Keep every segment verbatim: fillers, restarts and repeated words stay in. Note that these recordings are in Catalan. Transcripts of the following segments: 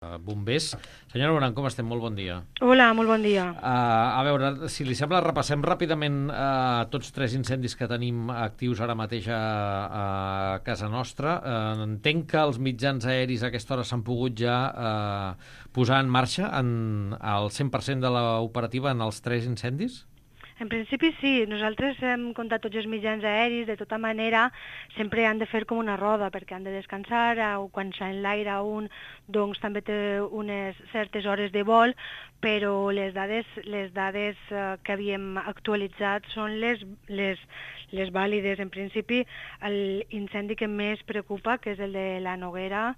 Uh, bombers. Senyora Moran, com estem? Molt bon dia. Hola, molt bon dia. Uh, a veure, si li sembla, repassem ràpidament uh, tots tres incendis que tenim actius ara mateix a, a casa nostra. Uh, entenc que els mitjans aeris a aquesta hora s'han pogut ja uh, posar en marxa en, al cent per cent de l'operativa en els tres incendis? En principi sí, nosaltres hem comptat tots els mitjans aeris, de tota manera sempre han de fer com una roda perquè han de descansar, o quan s'enlaira un doncs també té unes certes hores de vol, però les dades, les dades eh, que havíem actualitzat són les, les, les vàlides. En principi l'incendi que més preocupa, que és el de la Noguera,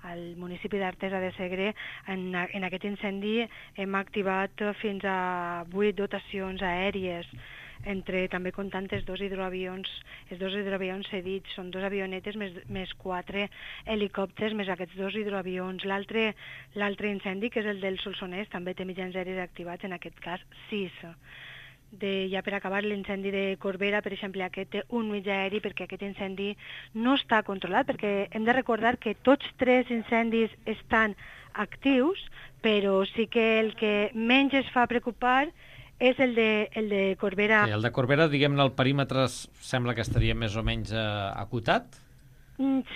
al municipi d'Artesa de Segre, en, en aquest incendi hem activat fins a vuit dotacions aèries, entre també comptant els dos hidroavions, els dos hidroavions cedits, són dos avionetes més, més quatre helicòpters més aquests dos hidroavions. L'altre l'altre incendi, que és el del Solsonès, també té mitjans aeris activats, en aquest cas sis. De, ja per acabar, l'incendi de Corbera, per exemple, aquest té un mitjà aeri perquè aquest incendi no està controlat, perquè hem de recordar que tots tres incendis estan actius, però sí que el que menys es fa preocupar és el de, el de Corbera. Sí, el de Corbera, diguem-ne, el perímetre sembla que estaria més o menys eh, acotat?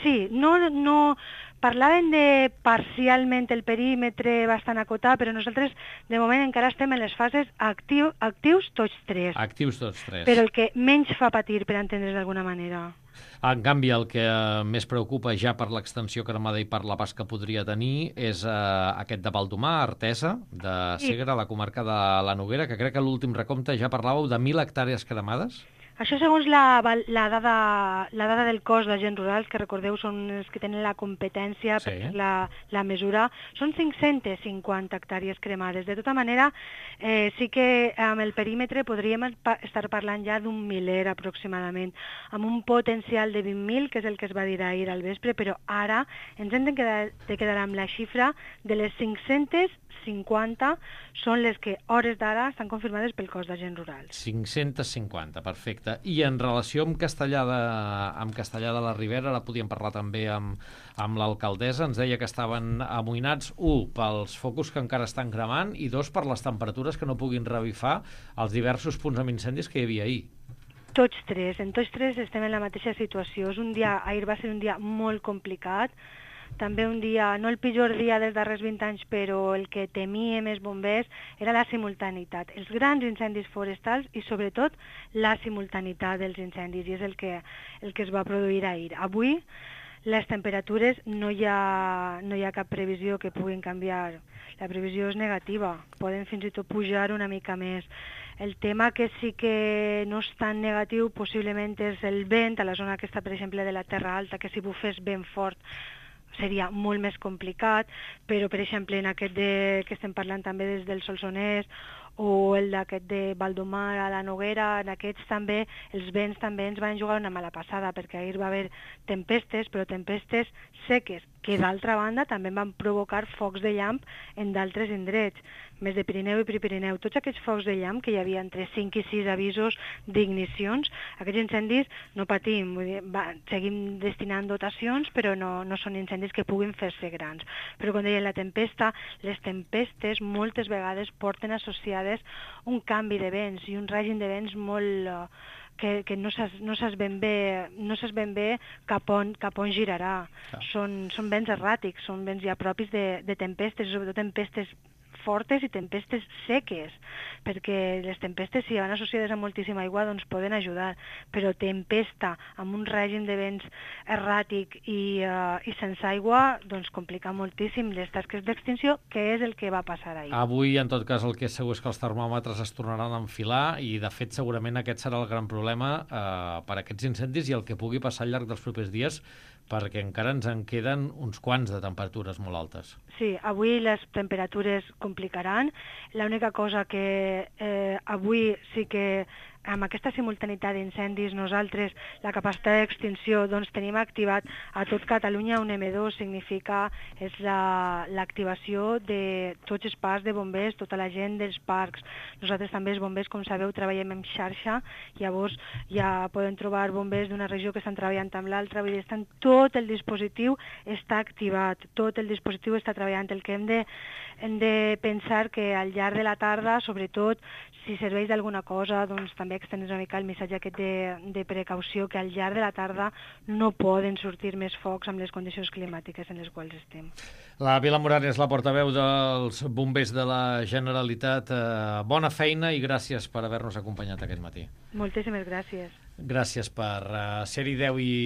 Sí, no, no, parlaven de parcialment el perímetre bastant acotat, però nosaltres de moment encara estem en les fases actiu, actius tots tres. Actius tots tres. Però el que menys fa patir, per entendre's d'alguna manera. En canvi, el que més preocupa ja per l'extensió cremada i per la pas que podria tenir és eh, aquest de Baldomar, Artesa, de Segre, la comarca de la Noguera, que crec que a l'últim recompte ja parlàveu de mil hectàrees cremades. Això segons la, la, dada, la dada del cos d'agents rurals, que recordeu són els que tenen la competència per Sí. la, la mesura, són cinc-centes cinquanta hectàrees cremades. De tota manera, eh, sí que amb el perímetre podríem estar parlant ja d'un miler aproximadament, amb un potencial de vint mil, que és el que es va dir ahir al vespre, però ara ens hem de quedar, de quedar amb la xifra de les cinc-centes cinquanta són les que hores d'ara estan confirmades pel cos d'agents rurals. cinc-centes cinquanta, perfecte. I en relació amb Castellà de, amb Castellà de la Ribera, ara podíem parlar també amb, amb l'alcaldessa, ens deia que estaven amoïnats, un, pels focus que encara estan cremant, i dos, per les temperatures que no puguin revifar els diversos punts amb incendis que hi havia ahir. Tots tres, en tots tres estem en la mateixa situació. És un dia, ahir va ser un dia molt complicat, també un dia, no el pitjor dia dels darrers vint anys, però el que temíem els bombers era la simultaneïtat, els grans incendis forestals i sobretot la simultaneïtat dels incendis, i és el que, el que es va produir ahir. Avui les temperatures no hi ha, no hi ha cap previsió que puguin canviar, la previsió és negativa, poden fins i tot pujar una mica més. El tema que sí que no és tan negatiu possiblement és el vent a la zona aquesta, per exemple, de la Terra Alta, que si bufés ben fort seria molt més complicat, però per exemple en aquest de, que estem parlant també des del Solsonès, o el d'aquest de Baldomar a la Noguera, en aquests també els vents també ens van jugar una mala passada, perquè ahir va haver tempestes, però tempestes seques, que d'altra banda també van provocar focs de llamp en d'altres indrets, més de Pirineu i Prepirineu. Tots aquests focs de llamp, que hi havia entre cinc i sis avisos d'ignicions, aquests incendis no patim, vull dir, va, seguim destinant dotacions, però no, no són incendis que puguin fer-se grans. Però com deia, la tempesta, les tempestes moltes vegades porten associades un canvi de vents i un règim de vents molt... Uh, que, que no saps, no saps ben bé, no saps ben bé cap on, cap on girarà. Ja. Són, són vents erràtics, són vents ja propis de, de tempestes, sobretot tempestes fortes i tempestes seques, perquè les tempestes, si van associades a moltíssima aigua, doncs poden ajudar, però tempesta amb un règim de vents erràtic i, uh, i sense aigua, doncs complica moltíssim les tasques d'extinció, que és el que va passar ahir. Avui, en tot cas, el que és segur és que els termòmetres es tornaran a enfilar i, de fet, segurament aquest serà el gran problema eh, per aquests incendis i el que pugui passar al llarg dels propers dies, perquè encara ens en queden uns quants de temperatures molt altes. Sí, avui les temperatures complicaran. L'única cosa que eh, avui sí que amb aquesta simultaneïtat d'incendis, nosaltres la capacitat d'extinció doncs, tenim activat a tot Catalunya un eme dos, significa és l'activació la, de tots els parcs de bombers, tota la gent dels parcs. Nosaltres també els bombers, com sabeu, treballem en xarxa, llavors ja poden trobar bombers d'una regió que estan treballant amb l'altra, vull dir, estan, tot el dispositiu està activat, tot el dispositiu està treballant. El que hem de, hem de pensar que al llarg de la tarda, sobretot, si serveix d'alguna cosa, doncs també extendre una mica el missatge aquest de, de precaució, que al llarg de la tarda no poden sortir més focs amb les condicions climàtiques en les quals estem. La Vila Morales, la portaveu dels bombers de la Generalitat. Eh, bona feina i gràcies per haver-nos acompanyat aquest matí. Moltíssimes gràcies. Gràcies per uh, ser-hi deu i